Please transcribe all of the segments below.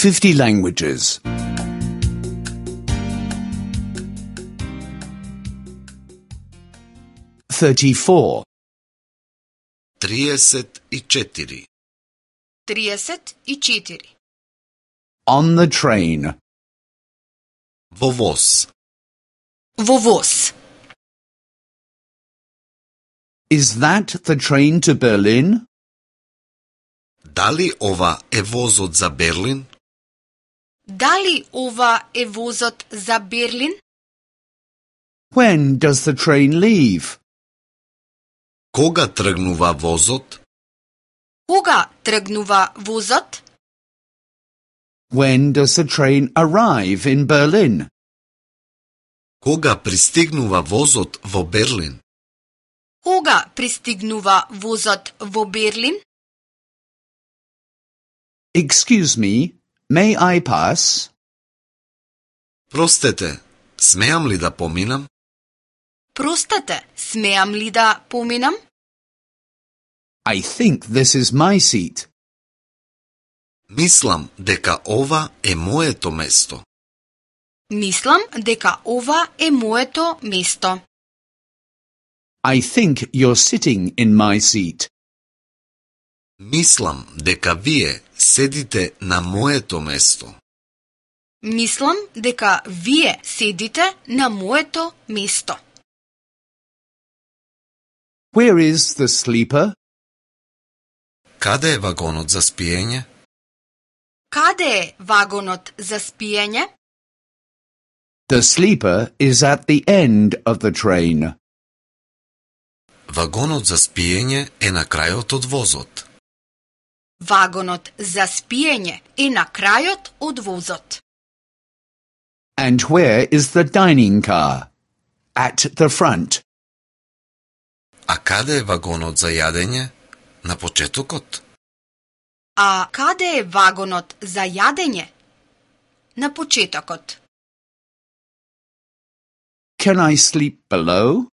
50 languages. 34. 34. 34. On the train. Во воз. Во воз. Is that the train to Berlin? Дали ова е возот за Берлин? Дали ова е возот за Берлин? When does the train leave? Кога тргнува возот? Кога тргнува возот? When does the train arrive in Berlin? Кога пристигнува возот во Берлин? Кога пристигнува возот во Берлин? Excuse me, may I pass? Простете, смеам ли да поминам? Простете, смеам ли да поминам? I think this is my seat. Мислам дека ова е моето место. Мислам дека ова е моето место. I think you're sitting in my seat. Мислам дека вие седите на моето место. Мислам дека вие седите на моето место. Where is the sleeper? Каде е вагонот за спиење? Каде е вагонот за спиење? The sleeper is at the end of the train. Вагонот за спиење е на крајот од возот. Вагонот за спиење е на крајот од возот. And where is the dining car? At the front. А каде е вагонот за јадење? На почетокот. А каде е вагонот за јадење? На почетокот. Can I sleep below?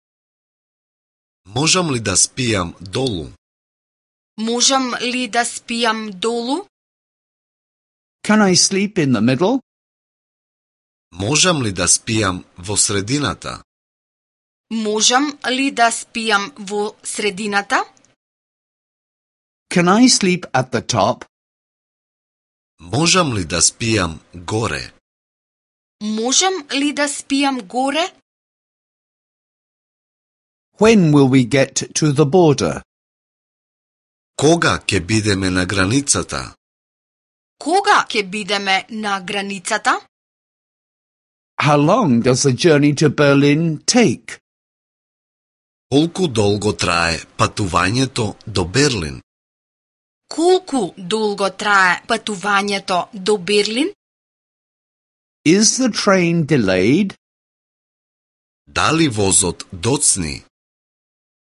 Можам ли да спијам долу? Можам ли да спијам долу? Can I sleep in the middle? Можам ли да спијам во средината? Можам ли да спијам во средината? Can I sleep at the top? Можам ли да спијам горе? Можам ли да спијам горе? When will we get to the border? Кога ќе бидеме на границата? Кога ќе бидеме на границата? How long does the journey to Berlin take? Колку долго трае патувањето до Берлин? Колку долго трае патувањето до Берлин? Is the train delayed? Дали возот доцни?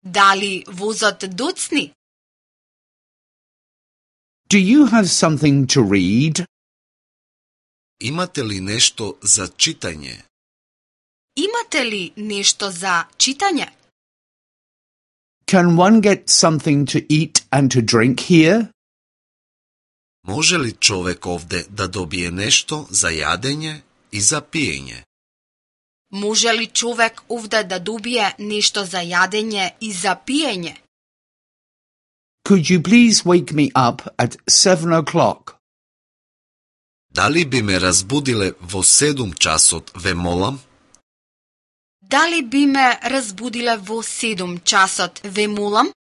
Дали возот доцни? Do you have something to read? Имате ли нешто за читање? Имате ли нешто за читање? Can one get something to eat and to drink here? Може ли човек овде да добие нешто за јадење и за пиење? Може ли човек овде да добие нешто за јадење и за пиење? Could you please wake me up at 7 o'clock? Дали би ме разбудиле во 7 часот, ве молам? Дали би ме разбудиле во 7 часот, ве молам?